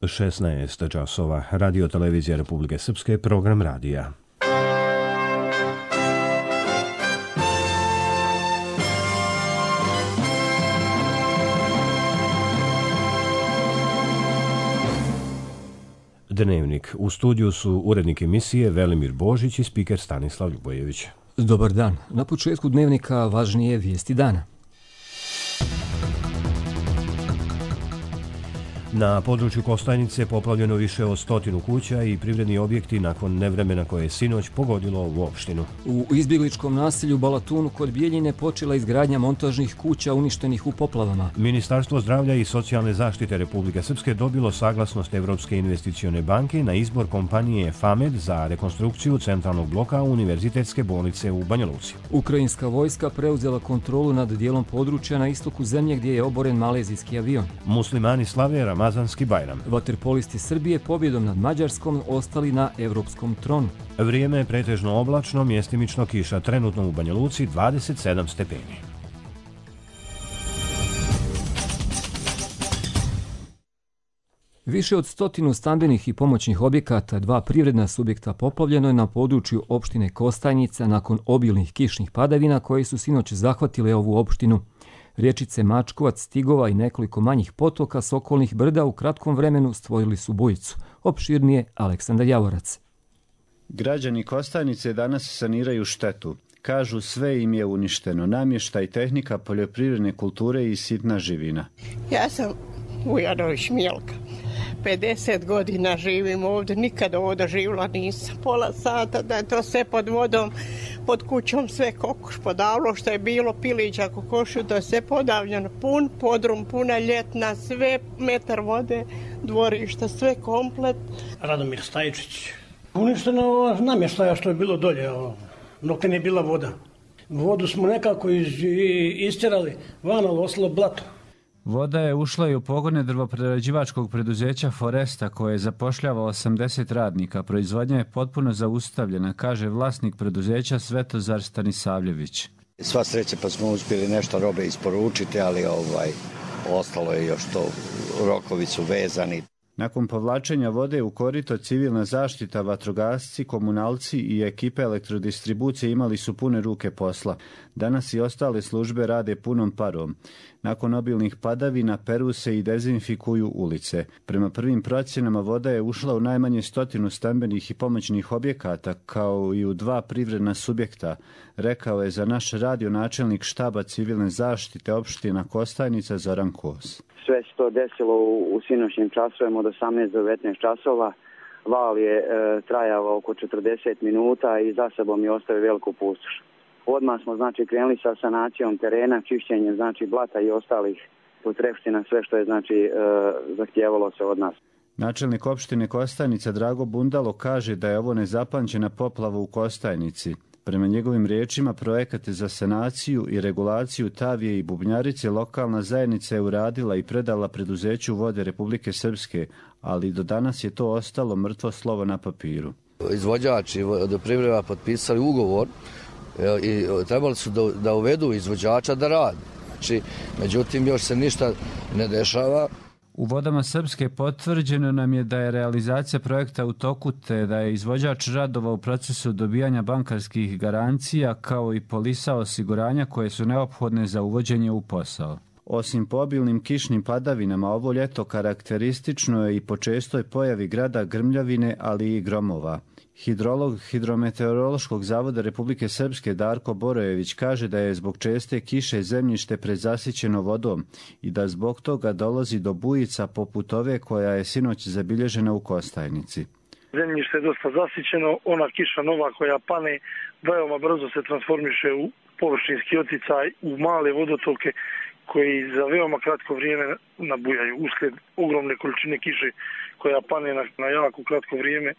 16 časova. Radio televizija Republike Srpske, program radija. Dnevnik. U studiju su urednik emisije Velimir Božić i spiker Stanislav Ljubojević. Dobar dan. Na početku dnevnika važnije vijesti dana. Na području Kostajnice poplavljeno više od 100 kuća i privredni objekti nakon nevremena koje je sinoć pogodilo ovu opštinu. U izbjegličkom naselju Balatunu kod Bijeljine počela izgradnja montažnih kuća uništenih u poplavama. Ministarstvo zdravlja i socijalne zaštite Republike Srpske dobilo saglasnost Evropske investicione banke na izbor kompanije FAMED za rekonstrukciju centralnog bloka Univerzitetske bolnice u Banja Luci. Ukrajinska vojska preuzela kontrolu nad dijelom područja na istoku zemlje gdje je oboren malezijski avion. Muslimani slave Ramazanski Bajram. Vaterpolisti Srbije pobjedom nad Mađarskom ostali na evropskom tronu. Vrijeme je pretežno oblačno, mjestimično kiša, trenutno u Banja Luci 27 stepeni. Više od 100 stambenih i pomoćnih objekata, 2 privredna subjekta poplavljeno je na području opštine Kostajnica nakon obilnih kišnih padavina koje su sinoć zahvatile ovu opštinu. Riječice Mačkovac, Stigova i nekoliko manjih potoka s okolnih brda u kratkom vremenu stvorili su bujicu. Opširnije Aleksandar Javorac. Građani Kostajnice danas saniraju štetu. Kažu sve im je uništeno. Namještaj, tehnika, poljoprivredne kulture i sitna živina. Ja sam Vujanović Milka. 50 godina živim ovdje, nikada ovdje živjela nisam. Pola sata da je to sve pod vodom, pod kućom sve kokoš podavlo, što je bilo pilića kokošu, to je sve podavljeno. Pun podrum, puna ljetna, sve metar vode, dvorišta, sve komplet. Radomir Stajčić. Uništeno namještaja što je bilo dolje, dok nije bila voda. Vodu smo nekako istjerali, van, ali ostalo blato. Voda je ušla i u pogone drvoprerađivačkog preduzeća Foresta koje zapošljava 80 radnika. Proizvodnja je potpuno zaustavljena, kaže vlasnik preduzeća Svetozar Stanisavljević. Sva sreća pa smo uspjeli nešto robe isporučiti, ali ostalo je još to, rokovi su vezani. Nakon povlačenja vode u korito, civilna zaštita, vatrogasci, komunalci i ekipe elektrodistribucije imali su pune ruke posla. Danas i ostale službe rade punom parom. Nakon obilnih padavina peru se i dezinfikuju ulice. Prema prvim procjenama voda je ušla u najmanje 100 stambenih i pomoćnih objekata, kao i u 2 privredna subjekta, rekao je za naš radio načelnik štaba civilne zaštite opština Kostajnica Zoran Kos. Sve se to desilo u sinoćnim časovima od 18 do 19 časova. Val je trajao oko 40 minuta i za sobom je ostavio veliku pustoš. Odmah smo krenuli sa sanacijom terena, čišćenjem blata i ostalih potrepština, sve što je zahtijevalo se od nas. Načelnik opštine Kostajnica Drago Bundalo kaže da je ovo nezapamćena poplava u Kostajnici. Prema njegovim riječima, projekate za sanaciju i regulaciju Tavije i Bubnjarice lokalna zajednica je uradila i predala preduzeću Vode Republike Srpske, ali do danas je to ostalo mrtvo slovo na papiru. Izvođači vodoprivreda potpisali ugovor i trebali su da uvedu izvođača da radi. Međutim, još se ništa ne dešava. U Vodama Srpske potvrđeno nam je da je realizacija projekta u toku te da je izvođač radova u procesu dobijanja bankarskih garancija kao i polisa osiguranja koje su neophodne za uvođenje u posao. Osim po obilnim kišnim padavinama, ovo ljeto karakteristično je i po čestoj pojavi grada grmljavine, ali i gromova. Hidrolog Hidrometeorološkog zavoda Republike Srpske Darko Borojević kaže da je zbog česte kiše zemljište prezasićeno vodom i da zbog toga dolazi do bujica poput ove koja je sinoć zabilježena u Kostajnici. Zemljište je dosta zasićeno, ona kiša nova koja pane veoma brzo se transformiše u površinski oticaj, u male vodotoke koji za veoma kratko vrijeme nabujaju uslijed ogromne količine kiše koja pane na jako kratko vrijeme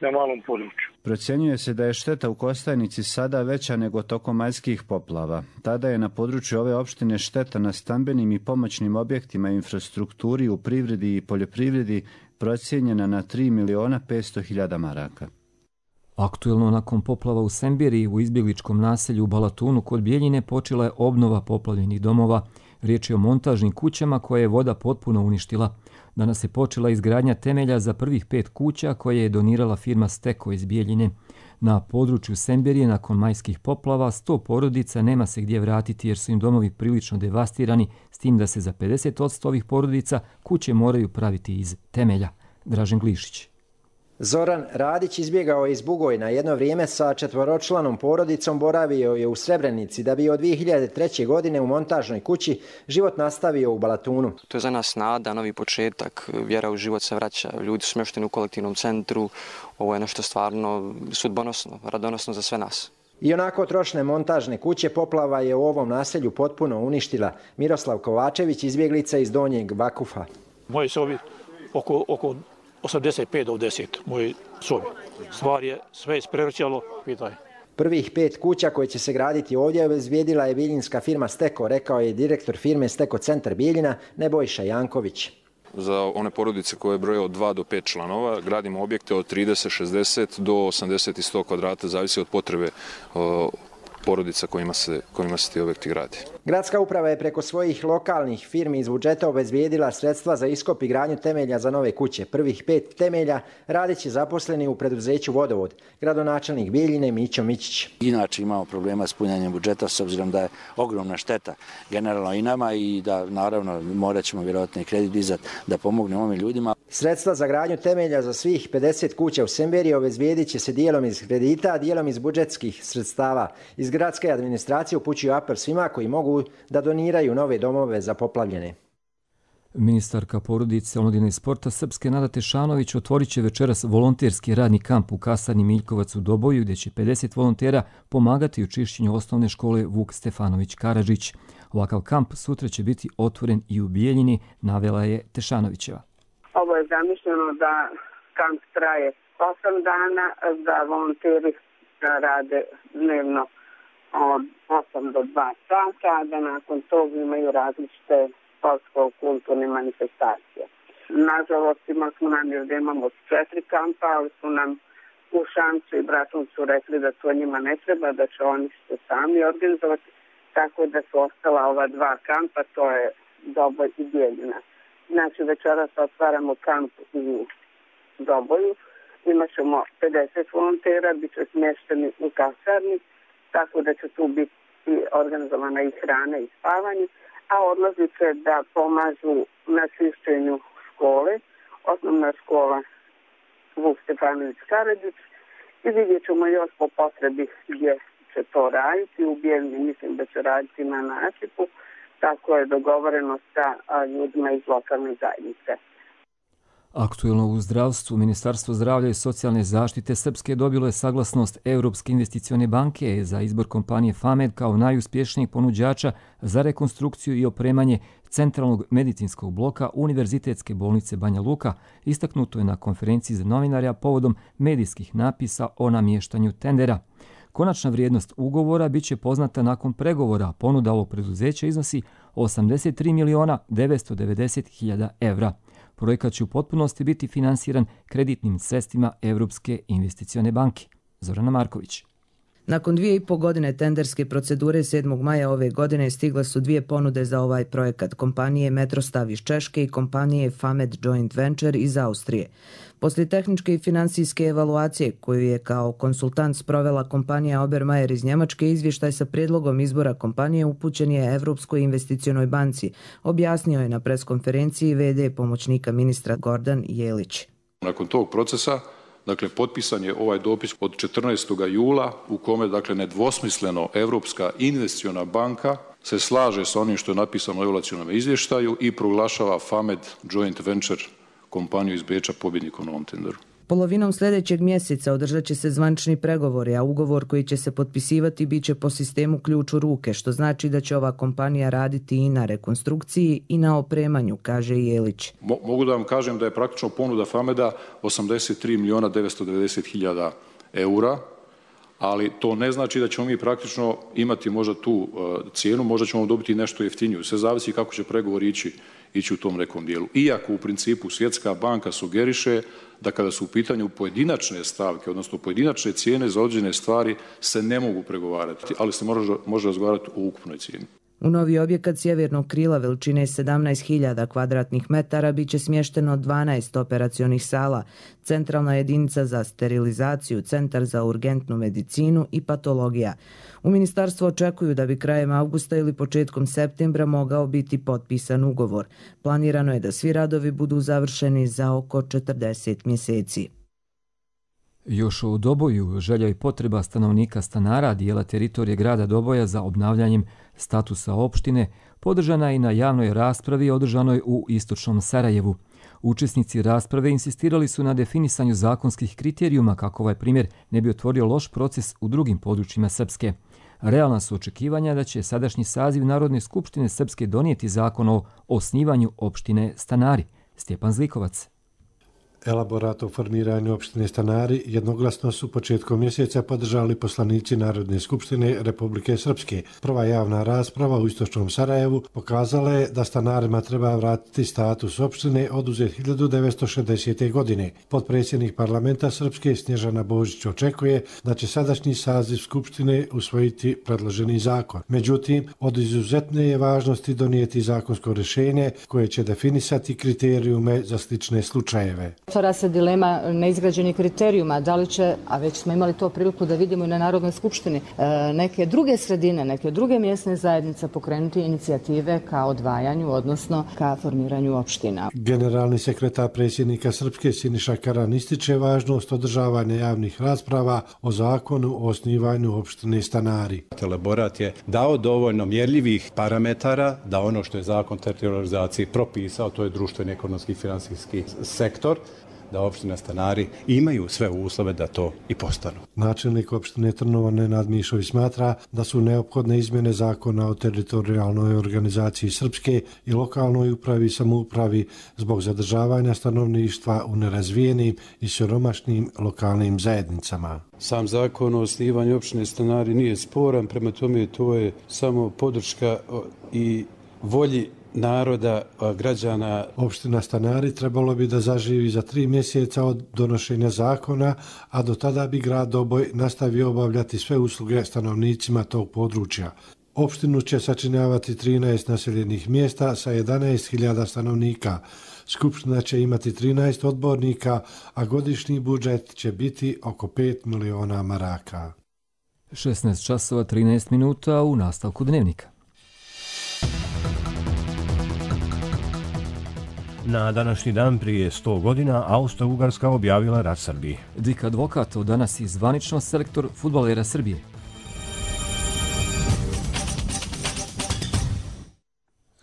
na malom području. Procjenjuje se da je šteta u Kostajnici sada veća nego tokom majskih poplava. Tada je na području ove opštine šteta na stambenim i pomoćnim objektima, infrastrukturi, u privredi i poljoprivredi procijenjena na 3.500.000 maraka. Aktuelno nakon poplava u Sembiriji u izbjegličkom naselju u Balatunu kod Bijeljine počela je obnova poplavljenih domova. Riječ je o montažnim kućama koje je voda potpuno uništila. Danas je počela izgradnja temelja za prvih 5 kuća koje je donirala firma Steko iz Bijeljine. Na području Semberije nakon majskih poplava 100 porodica nema se gdje vratiti jer su im domovi prilično devastirani, s tim da se za 50% ovih porodica kuće moraju praviti iz temelja. Dražen Glišić. Zoran Radić izbjegao je iz Bugojna. Jedno vrijeme sa 4-članom porodicom boravio je u Srebrenici da bi od 2003. godine u montažnoj kući život nastavio u Balatunu. To je za nas nada, novi početak, vjera u život se vraća, ljudi su smješteni u kolektivnom centru, ovo je nešto stvarno sudbonosno, radonosno za sve nas. I onako trošne montažne kuće poplava je u ovom naselju potpuno uništila. Miroslav Kovačević, izbjeglica iz Donjeg Vakufa. Moji sobi oko 85 do 10, moji sobi. Stvar je sve isprevrćalo, pitaj. Prvih 5 kuća koje će se graditi ovdje obezbijedila je bijeljinska firma Steko, rekao je direktor firme Steko Centar Bijeljina Nebojša Janković. Za one porodice koje broje od 2 do 5 članova gradimo objekte od 30, 60 do 80 i 100 kvadrata, zavisi od potrebe porodica kojima se ti objekti gradi. Gradska uprava je preko svojih lokalnih firmi iz budžeta obezbijedila sredstva za iskop i gradnju temelja za nove kuće. Prvih 5 temelja radit će zaposleni u preduzeću Vodovod. Gradonačelnik Bijeljine Mićo Mićić. Inače imamo problema s punjanjem budžeta s obzirom da je ogromna šteta generalno i nama i da naravno morat ćemo vjerojatno i kredit dizati da pomognemo ovim ljudima. Sredstva za gradnju temelja za svih 50 kuća u Semberiji obezbijedit će se dijelom iz kredita, a dijelom iz budžetskih sredstava. Iz gradske administracije upućuju apel svima koji mogu da doniraju nove domove za poplavljene. Ministarka porodice, omladine i sporta Srpske Nada Tešanović otvorit će večeras volonterski radni kamp u kasarni Miljkovac u Doboju, gdje će 50 volontera pomagati u čišćenju osnovne škole Vuk Stefanović Karadžić. Ovakav kamp sutra će biti otvoren i u Bijeljini, navela je Tešanovićeva. Ovo je zamišljeno da kamp traje 8 dana, da volonteri rade dnevno od 8 do 2 sata, da nakon toga imaju različite sportsko-kulturne manifestacije. Nažalost, imali smo namjer da imamo 4 kampa, ali su nam u Šamcu i Bratuncu rekli da to njima ne treba, da će oni se sami organizovati, tako da su ostala ova 2 kampa, to je Doboj i Bijeljina. Znači, večeras otvaramo kamp u Doboju, imat ćemo 50 volontera, bit će smješteni u kasarni, tako da će tu biti organizovana i hrana i spavanje, a odlazit će da pomažu na čišćenju škole, osnovna škola Vuk Stefanović Karadžić, i vidjet ćemo još po potrebi gdje će to raditi. U Bijeljini mislim da će raditi na nasipu, tako je dogovoreno sa ljudima iz lokalne zajednice. Aktuelno u zdravstvu, Ministarstvo zdravlja i socijalne zaštite Srpske dobilo je saglasnost Europske investicione banke za izbor kompanije FAMED kao najuspješnijeg ponuđača za rekonstrukciju i opremanje centralnog medicinskog bloka Univerzitetske bolnice Banja Luka, istaknuto je na konferenciji za novinare povodom medijskih napisa o namještanju tendera. Konačna vrijednost ugovora bit će poznata nakon pregovora. Ponuda ovog preduzeća iznosi 83.990.000 evra. Projekat će u potpunosti biti finansiran kreditnim sredstvima Europske investicione banke. Zorana Marković. Nakon 2,5 godine tenderske procedure 7. maja ove godine stigle su 2 ponude za ovaj projekat, kompanije Metrostav iz Češke i kompanije FAMED Joint Venture iz Austrije. Poslije tehničke i finansijske evaluacije koju je kao konsultant sprovela kompanija Obermajer iz Njemačke, izvještaj sa prijedlogom izbora kompanije upućen je Evropskoj investicionoj banci, objasnio je na preskonferenciji VD pomoćnika ministra Gordan Jelić. Nakon tog procesa, potpisan je ovaj dopis od 14. jula u kome, nedvosmisleno Evropska investiciona banka se slaže sa onim što je napisano u evaluacionom izvještaju i proglašava FAMED Joint Venture kompaniju iz Beča pobjednikom na ovom tenderu. Polovinom sljedećeg mjeseca održat će se zvanični pregovori, a ugovor koji će se potpisivati bit će po sistemu ključ u ruke, što znači da će ova kompanija raditi i na rekonstrukciji i na opremanju, kaže Jelić. Mogu da vam kažem da je praktično ponuda FAMED-a 83.990.000 eura, ali to ne znači da ćemo mi praktično imati možda tu cijenu, možda ćemo dobiti nešto jeftiniju. Sve zavisi kako će pregovori ići u tom nekom dijelu. Iako u principu Svjetska banka sugeriše da kada su u pitanju pojedinačne stavke, odnosno pojedinačne cijene za određene stvari se ne mogu pregovarati, ali se može razgovarati o ukupnoj cijeni. U novi objekat sjevernog krila veličine 17.000 kvadratnih metara biće smješteno 12 operacionih sala, centralna jedinica za sterilizaciju, centar za urgentnu medicinu i patologija. U ministarstvu očekuju da bi krajem avgusta ili početkom septembra mogao biti potpisan ugovor. Planirano je da svi radovi budu završeni za oko 40 mjeseci. Još u Doboju želja i potreba stanovnika stanara dijela teritorije grada Doboja za obnavljanjem statusa opštine podržana je i na javnoj raspravi održanoj u istočnom Sarajevu. Učesnici rasprave insistirali su na definisanju zakonskih kriterijuma kako ovaj primjer ne bi otvorio loš proces u drugim područjima Srpske. Realna su očekivanja da će sadašnji saziv Narodne skupštine Srpske donijeti zakon o osnivanju opštine Stanari. Stjepan Zlikovac. Elaborat o formiranju opštine Stanari jednoglasno su početkom mjeseca podržali poslanici Narodne skupštine Republike Srpske. Prva javna rasprava u istočnom Sarajevu pokazala je da stanarima treba vratiti status opštine oduzet 1960. godine. Potpredsjednik parlamenta Srpske Snježana Božić očekuje da će sadašnji saziv skupštine usvojiti predloženi zakon. Međutim, od izuzetne je važnosti donijeti zakonsko rješenje koje će definisati kriterijume za slične slučajeve. Otvara se dilema neizgrađenih kriterijuma, da li će, a već smo imali to priliku da vidimo i na Narodnoj skupštini, neke druge sredine, neke druge mjesne zajednice pokrenuti inicijative ka odvajanju, odnosno ka formiranju opština. Generalni sekretar predsjednika Srpske Siniša Karan ističe važnost održavanja javnih rasprava o zakonu o osnivanju opštine Stanari. Elaborat je dao dovoljno mjerljivih parametara da ono što je zakon o teritorializaciji propisao, to je društveni, ekonomski i finansijski sektor, da opština Stanari imaju sve uslove da to i postanu. Načelnik opštine Trnovo Nenad Mišović smatra da su neophodne izmjene zakona o teritorijalnoj organizaciji Srpske i lokalnoj upravi i samoupravi zbog zadržavanja stanovništva u nerazvijenim i siromašnim lokalnim zajednicama. Sam zakon o osnivanju opštine Stanari nije sporan, prema tome to je samo podrška i volji naroda, građana. Opština Stanari trebalo bi da zaživi za 3 mjeseca od donošenja zakona, a do tada bi grad Doboj nastavio obavljati sve usluge stanovnicima tog područja. Opštinu će sačinjavati 13 naseljenih mjesta sa 11.000 stanovnika. Skupština će imati 13 odbornika, a godišnji budžet će biti oko 5 miliona maraka. 16 časova 13 minuta u nastavku dnevnika. Na današnji dan prije 100 godina Austro-Ugarska objavila rat Srbiji. Dik Advokatov danas i zvanično selektor fudbalera Srbije.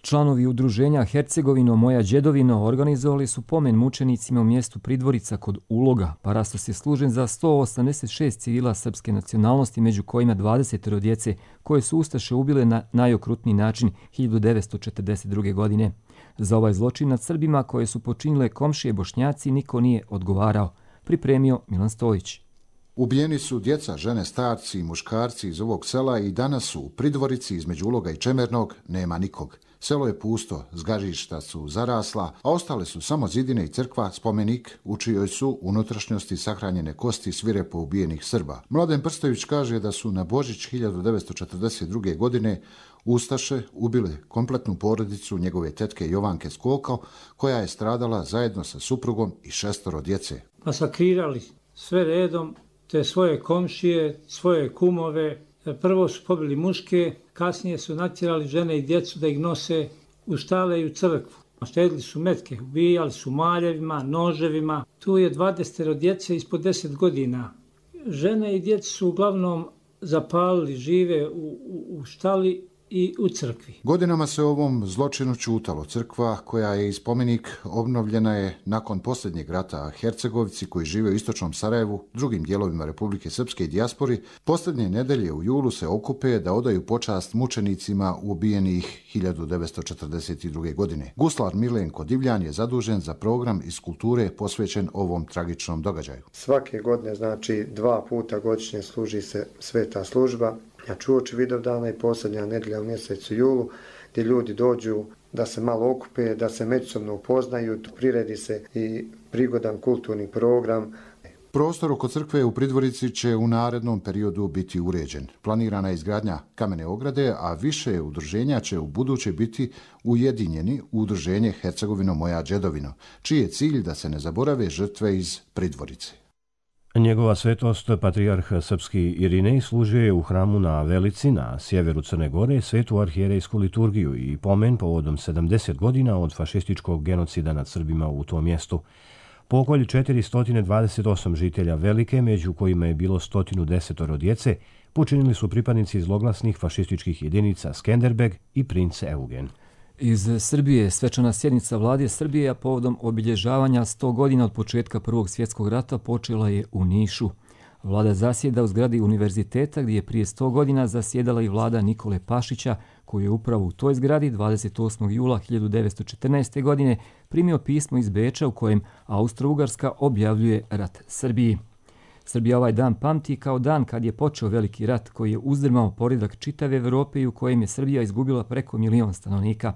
Članovi udruženja Hercegovino Moja Đedovino organizovali su pomen mučenicima u mjestu Pridvorica kod Uloga. Parastos je služen za 186 civila srpske nacionalnosti, među kojima 20 djece koje su ustaše ubile na najokrutniji način 1942. godine. Za ovaj zločin nad Srbima koje su počinile komšije Bošnjaci niko nije odgovarao. Pripremio Milan Stojić. Ubijeni su djeca, žene, starci i muškarci iz ovog sela i danas su u Pridvorici između Uloga i Čemernog, nema nikog. Selo je pusto, zgažišta su zarasla, a ostale su samo zidine i crkva, spomenik, u čijoj su unutrašnjosti sahranjene kosti svirepo ubijenih Srba. Mladen Prstović kaže da su na Božić 1942. godine ustaše ubile kompletnu porodicu njegove tetke Jovanke Skoko, koja je stradala zajedno sa suprugom i 6 djece. Masakrirali sve redom te svoje komšije, svoje kumove. Prvo su pobili muške, kasnije su natjerali žene i djecu da ih nose u štale i u crkvu. Štedili su metke, ubijali su maljevima, noževima. Tu je 20 djece ispod 10 godina. Žene i djeca su uglavnom zapalili, žive u štali i u crkvi. Godinama se o ovom zločinu ćutalo. Crkva, koja je i spomenik, obnovljena je nakon posljednjeg rata, a Hercegovici koji žive u istočnom Sarajevu, drugim dijelovima Republike Srpske i dijaspori, posljednje nedelje u julu se okupe da odaju počast mučenicima ubijenih 1942. godine. Guslar Milenko Divljan je zadužen za program iz kulture posvećen ovom tragičnom događaju. Svake godine, znači 2 puta godišnje služi se sveta služba. Znači uoči Vidovdana i posljednja nedjelja u mjesecu julu, gdje ljudi dođu da se malo okupe, da se međusobno upoznaju, priredi se i prigodan kulturni program. Prostor oko crkve u Pridvorici će u narednom periodu biti uređen. Planirana je izgradnja kamene ograde, a više udruženja će u buduće biti ujedinjeni u udruženje Hercegovino moja džedovino, čiji je cilj da se ne zaborave žrtve iz Pridvorice. Njegova svetost, patrijarh srpski Irinej, služio je u hramu na Velici na sjeveru Crne Gore svetu arhijerejsku liturgiju i pomen povodom 70 godina od fašističkog genocida nad Srbima u tom mjestu. Pokolj 428 žitelja Velike, među kojima je bilo 110 djece, počinili su pripadnici zloglasnih fašističkih jedinica Skenderbeg i princ Eugen. Iz Srbije svečana sjednica Vlade Srbije, a povodom obilježavanja 100 godina od početka Prvog svjetskog rata počela je u Nišu. Vlada zasjeda u zgradi univerziteta gdje je prije 100 godina zasjedala i vlada Nikole Pašića, koji je upravo u toj zgradi 28. jula 1914. godine primio pismo iz Beča u kojem Austro-Ugarska objavljuje rat Srbiji. Srbija ovaj dan pamti kao dan kad je počeo veliki rat koji je uzdrmao poredak čitave Evrope i u kojem je Srbija izgubila preko 1 milion stanovnika.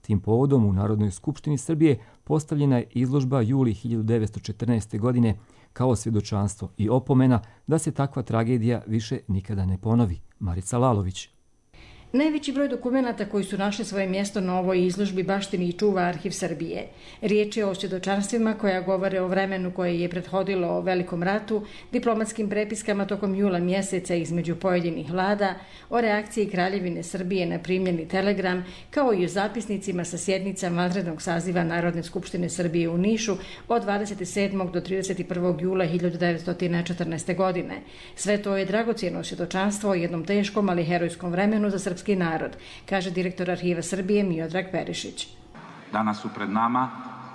Tim povodom u Narodnoj skupštini Srbije postavljena je izložba juli 1914. godine kao svjedočanstvo i opomena da se takva tragedija više nikada ne ponovi. Marica Lalović. Najveći broj dokumenata koji su našli svoje mjesto na ovoj izložbi baštini i čuva Arhiv Srbije. Riječ je o svjedočanstvima koja govore o vremenu koje je prethodilo o Velikom ratu, diplomatskim prepiskama tokom jula mjeseca između pojedinih vlada, o reakciji Kraljevine Srbije na primljeni telegram, kao i o zapisnicima sa sjednica vanrednog saziva Narodne skupštine Srbije u Nišu od 27. do 31. jula 1914. godine. Sve to je dragocjeno svjedočanstvo o jednom teškom, ali herojskom vremenu za srpski narod, kaže direktor Arhiva Srbije Miodrag Perišić. Danas su pred nama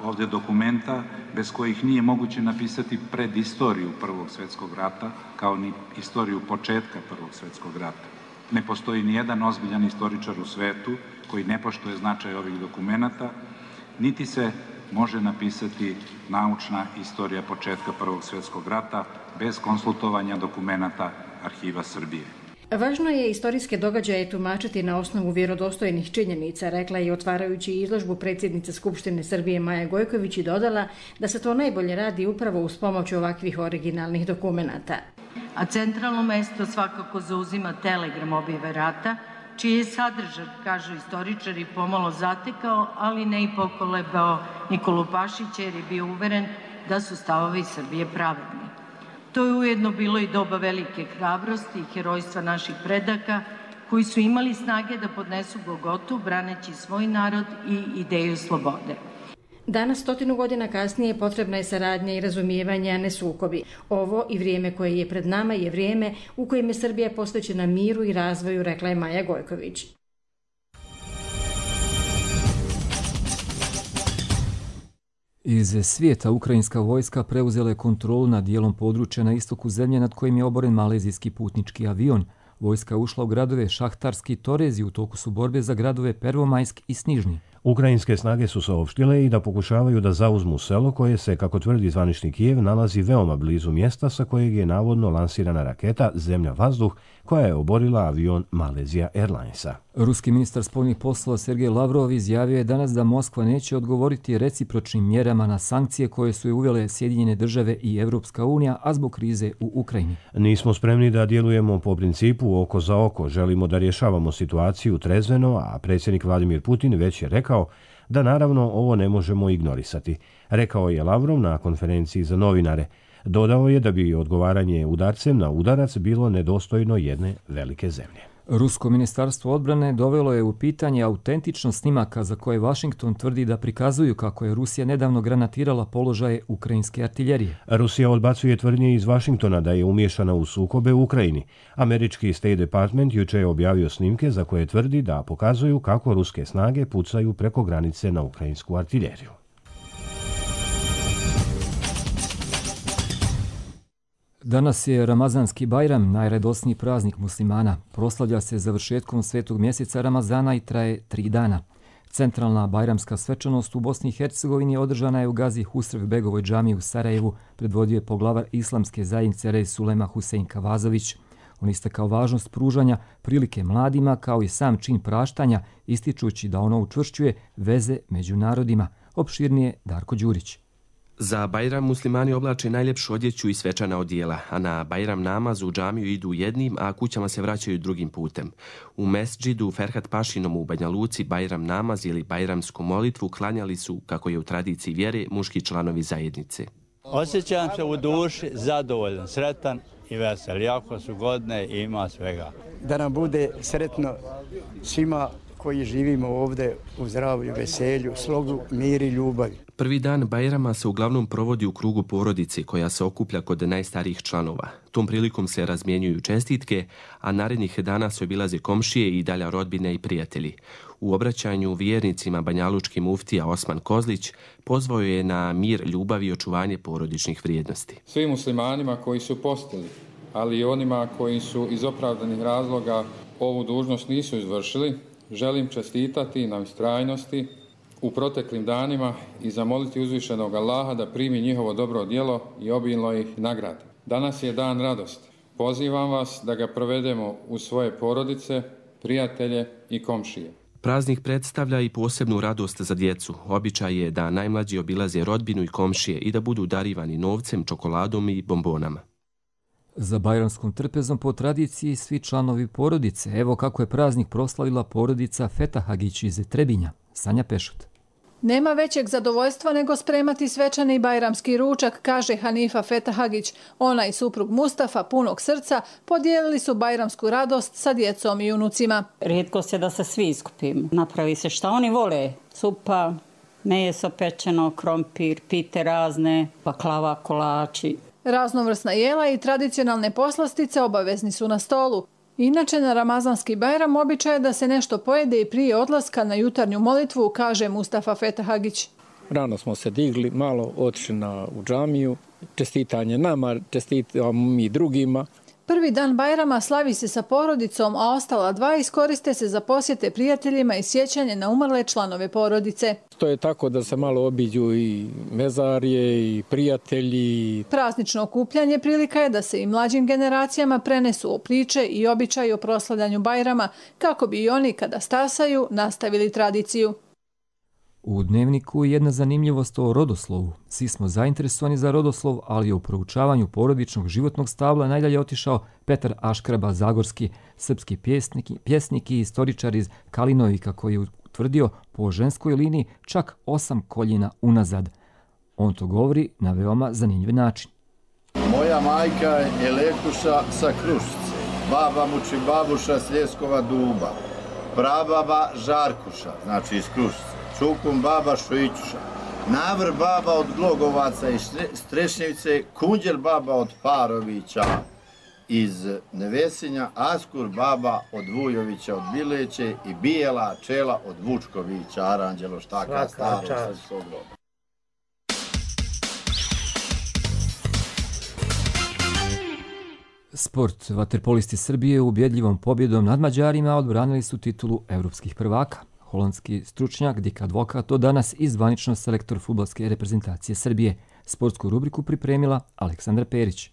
ovdje dokumenta bez kojih nije moguće napisati predistoriju Prvog svjetskog rata, kao ni istoriju početka Prvog svjetskog rata. Ne postoji ni jedan ozbiljan istoričar u svetu koji ne poštuje značaj ovih dokumenata, niti se može napisati naučna istorija početka Prvog svjetskog rata bez konsultovanja dokumenata Arhiva Srbije. Važno je istorijske događaje tumačiti na osnovu vjerodostojnih činjenica, rekla je otvarajući izložbu predsjednica Skupštine Srbije Maja Gojković i dodala da se to najbolje radi upravo uz pomoć ovakvih originalnih dokumenata. A centralno mjesto svakako zauzima telegram objave rata, čiji je sadržaj, kažu istoričari, pomalo zatekao, ali ne i pokolebao Nikolu Pašića jer je bio uveren da su stavovi Srbije pravedni. To je ujedno bilo i doba velike hrabrosti i herojstva naših predaka koji su imali snage da podnesu Golgotu braneći svoj narod i ideju slobode. Danas, 100 godina kasnije, potrebna je saradnja i razumijevanje, a ne sukobi. Ovo i vrijeme koje je pred nama je vrijeme u kojem je Srbija posvećena miru i razvoju, rekla je Maja Gojković. Iz svijeta ukrajinska vojska preuzela je kontrolu nad dijelom područja na istoku zemlje nad kojim je oboren malezijski putnički avion. Vojska je ušla u gradove Šahtarski i Torez i u toku su borbe za gradove Pervomajsk i Snižni. Ukrajinske snage su saopštile i da pokušavaju da zauzmu selo koje se, kako tvrdi zvanični Kijev, nalazi veoma blizu mjesta sa kojeg je navodno lansirana raketa Zemlja-vazduh koja je oborila avion Malaysia Airlinesa. Ruski ministar spoljnih poslova Sergej Lavrov izjavio je danas da Moskva neće odgovoriti recipročnim mjerama na sankcije koje su je uvele Sjedinjene države i Evropska unija, a zbog krize u Ukrajini. Nismo spremni da djelujemo po principu oko za oko, želimo da rješavamo situaciju trezveno, a predsjednik Vladimir Putin već je rekao da naravno ovo ne možemo ignorisati, rekao je Lavrov na konferenciji za novinare. Dodao je da bi odgovaranje udarcem na udarac bilo nedostojno jedne velike zemlje. Rusko ministarstvo odbrane dovelo je u pitanje autentičnost snimaka za koje Washington tvrdi da prikazuju kako je Rusija nedavno granatirala položaje ukrajinske artiljerije. Rusija odbacuje tvrdnje iz Washingtona da je umiješana u sukobe u Ukrajini. Američki State Department juče je objavio snimke za koje tvrdi da pokazuju kako ruske snage pucaju preko granice na ukrajinsku artiljeriju. Danas je Ramazanski Bajram, najradosniji praznik muslimana. Proslavlja se završetkom svetog mjeseca Ramazana i traje 3 dana. Centralna bajramska svečanost u Bosni i Hercegovini održana je u Gazi Husrev Begovoj džamiji u Sarajevu, predvodio je poglavar islamske zajednice Rej Sulema Husein Kavazović. On istakao važnost pružanja prilike mladima kao i sam čin praštanja, ističući da ono učvršćuje veze među narodima. Opširnije Darko Đurić. Za Bajram muslimani oblače najljepšu odjeću i svečana odijela, a na Bajram namaz u džamiju idu jednim, a kućama se vraćaju drugim putem. U mesdžidu Ferhat Pašinom u Banja Luci Bajram namaz ili bajramsku molitvu klanjali su, kako je u tradiciji vjere, muški članovi zajednice. Osjećam se u duši zadovoljan, sretan i vesel. Jako su godine i ima svega. Da nam bude sretno svima koji živimo ovdje u zdravlju, veselju, slogu, miru i ljubavi. Prvi dan Bajrama se uglavnom provodi u krugu porodice koja se okuplja kod najstarijih članova. Tom prilikom se razmjenjuju čestitke, a narednih dana se obilaze komšije i dalja rodbine i prijatelji. U obraćanju vjernicima banjalučki muftija Osman Kozlić pozvao je na mir, ljubav i očuvanje porodičnih vrijednosti. Svim muslimanima koji su postili, ali i onima koji su iz opravdanih razloga ovu dužnost nisu izvršili, želim čestitati na ustrajnosti u proteklim danima i zamoliti uzvišenog Allaha da primi njihovo dobro djelo i obilno ih nagradi. Danas je dan radosti. Pozivam vas da ga provedemo u svoje porodice, prijatelje i komšije. Praznik predstavlja i posebnu radost za djecu. Običaj je da najmlađi obilaze rodbinu i komšije i da budu darivani novcem, čokoladom i bombonama. Za bajramskom trpezom po tradiciji svi članovi porodice. Evo kako je praznik proslavila porodica Fetahagić iz Trebinja. Sanja Pešut. Nema većeg zadovoljstva nego spremati svečani bajramski ručak, kaže Hanifa Fetahagić. Ona i suprug Mustafa, punog srca, podijelili su bajramsku radost sa djecom i unucima. Rijetko se da se svi iskupimo. Napravi se šta oni vole. Supa, meso pečeno, krompir, pite razne, baklava, kolači. Raznovrsna jela i tradicionalne poslastice obavezni su na stolu. Inače, na ramazanski Bajram običaj je da se nešto pojede i prije odlaska na jutarnju molitvu, kaže Mustafa Fetahagić. Rano smo se digli, malo otišli u džamiju, čestitanje nama, čestitamo mi drugima. Prvi dan Bajrama slavi se sa porodicom, a ostala dva iskoriste se za posjete prijateljima i sjećanje na umrle članove porodice. To je tako da se malo obiđu i mezarje i prijatelji. Praznično okupljanje prilika je da se i mlađim generacijama prenesu priče i običaji o proslavljanju Bajrama, kako bi i oni kada stasaju nastavili tradiciju. U Dnevniku je jedna zanimljivost o rodoslovu. Svi smo zainteresovani za rodoslov, ali je u proučavanju porodičnog životnog stabla najdalje otišao Petar Aškraba Zagorski, srpski pjesnik i istoričar iz Kalinovika, koji je utvrdio po ženskoj liniji čak 8 koljena unazad. On to govori na veoma zanimljiv način. Moja majka je Lekuša sa Krušice, baba Mučibabuša s Ljeskova Duba, prababa Žarkuša, znači iz Krušice. Čukum baba Šojićuša, Navr baba od Glogovaca i Strešnjevice, Kunđel baba od Parovića iz Nevesinja, Askur baba od Vujovića od Bileće i Bijela Čela od Vučkovića, Aranđelo štaka staro sa svog roda. Sport. Vaterpolisti Srbije ubjedljivom pobjedom nad Mađarima odbranili su titulu evropskih prvaka. Holandski stručnjak Dik Advokat to danas i zvanično selektor fudbalske reprezentacije Srbije. Sportsku rubriku pripremila Aleksandra Perić.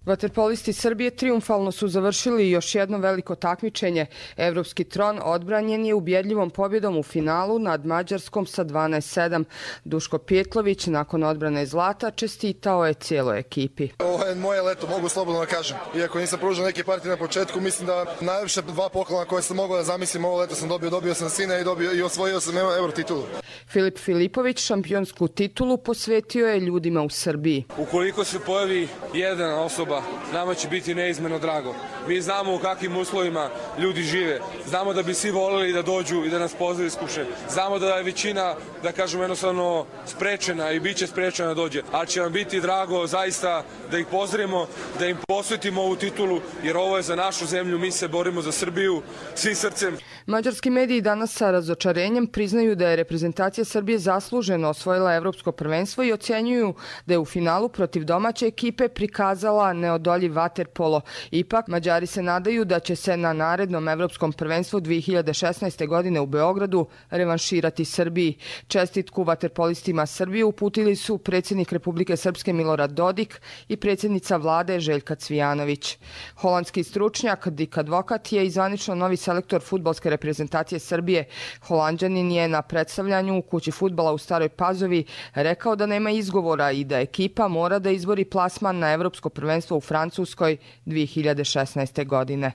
Vaterpolisti Srbije triumfalno su završili još jedno veliko takmičenje. Evropski tron odbranjen je ubjedljivom pobjedom u finalu nad Mađarskom sa 12-7. Duško Pjetlović nakon odbrane zlata čestitao je cijeloj ekipi. Ovo je moje leto, mogu slobodno da kažem. Iako nisam pružio neke partije na početku, mislim da najviše 2 poklona koje sam mogao da zamislim ovo leto sam dobio. Dobio sam sina i osvojio sam euro titulu. Filip Filipović šampionsku titulu posvetio je ljudima u Srbiji. Ukoliko se pojavi jedna osoba, nama će biti neizmjerno drago. Mi znamo u kakvim uslovima ljudi žive. Znamo da bi svi volili da dođu i da nas pozdravi skuše. Znamo da je većina, da kažemo jednostavno, sprečena i bit će sprečena da dođe. Ali će vam biti drago zaista da ih pozdravimo, da im posvetimo ovu titulu, jer ovo je za našu zemlju, mi se borimo za Srbiju, svi srcem. Mađarski mediji danas sa razočarenjem priznaju da je reprezentacija Srbije zasluženo osvojila evropsko prvenstvo i ocjenjuju da je u finalu protiv domaće ekipe prikazala neodoljiv vaterpolo. Ipak, Mađari se nadaju da će se na narednom evropskom prvenstvu 2016. godine u Beogradu revanširati Srbiji. Čestitku vaterpolistima Srbije uputili su predsjednik Republike Srpske Milorad Dodik i predsjednica vlade Željka Cvijanović. Holandski stručnjak Dik Advokat je i zvanično novi selektor fudbalske reprezentacije Srbije. Holanđanin je na predstavljanju u kući fudbala u Staroj Pazovi rekao da nema izgovora i da ekipa mora da izbori plasman na Evropsko prvenstvo u Francuskoj 2016. godine.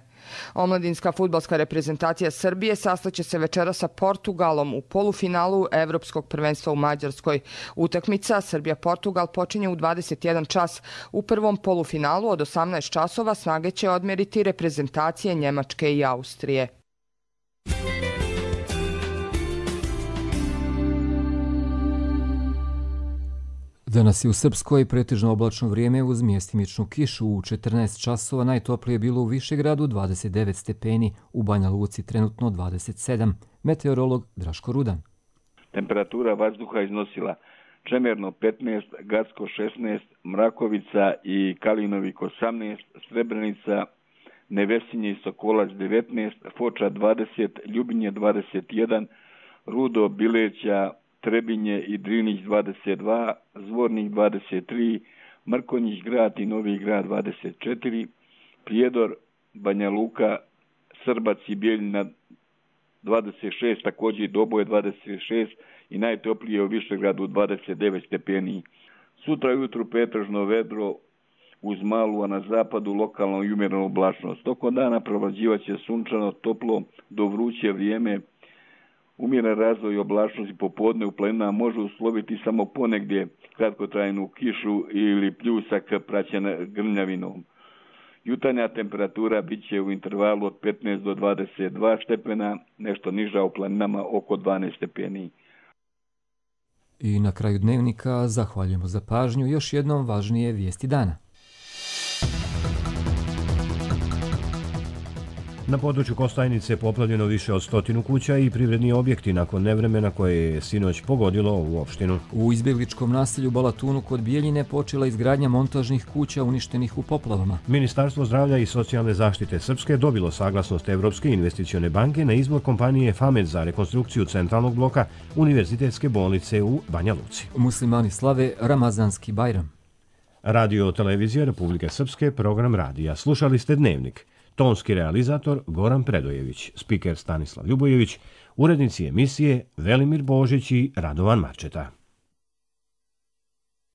Omladinska fudbalska reprezentacija Srbije sastaće se večera sa Portugalom u polufinalu Evropskog prvenstva u Mađarskoj. Utakmica Srbija-Portugal počinje u 21 čas. U prvom polufinalu od 18 časova snage će odmeriti reprezentacije Njemačke i Austrije. Danas je u Srpskoj pretežno oblačno vrijeme uz mjestimičnu kišu. U 14 časova najtoplije je bilo u Višegradu 29 stepeni, u Banja Luci trenutno 27. Meteorolog Draško Rudan. Temperatura vazduha iznosila Čemerno 15, Gacko 16, Mrakovica i Kalinovik 18, Srebrenica, Nevesinje i Sokolac 19, Foča 20, Ljubinje 21, Rudo, Bileća, Trebinje i Drinić 22, Zvornik 23, Mrkonjić grad i Novi grad 24, Prijedor, Banja Luka, Srbac i Bijeljina 26, također i Doboje 26 i najtoplije u Višegradu 29 stepeni. Sutra ujutru pretežno vedro uz malu, a na zapadu lokalno i umjerenu oblačnost. Tokom dana provlađivaće sunčano, toplo do vruće vrijeme. Umjeren razvoj oblačnosti popodne u planinama može usloviti samo ponegdje kratkotrajnu kišu ili pljusak praćen grmljavinom. Jutarnja temperatura bit će u intervalu od 15 do 22 stepena, nešto niža u planinama oko 12 stepeni. I na kraju dnevnika zahvaljujemo za pažnju. Još jednom važnije vijesti dana. Na području Kostajnice poplavljeno više od 100 kuća i privredni objekti nakon nevremena koje je sinoć pogodilo ovu opštinu. U izbjegličkom naselju Balatunu kod Bijeljine počela izgradnja montažnih kuća uništenih u poplavama. Ministarstvo zdravlja i socijalne zaštite Srpske dobilo saglasnost Evropske investicione banke na izbor kompanije FAMED za rekonstrukciju centralnog bloka Univerzitetske bolnice u Banja Luci. Muslimani slave Ramazanski Bajram. Radio televizija Republike Srpske, program radija. Slušali ste Dnevnik. Tonski realizator Goran Predojević, spiker Stanislav Ljubojević, urednici emisije Velimir Božić i Radovan Marčeta.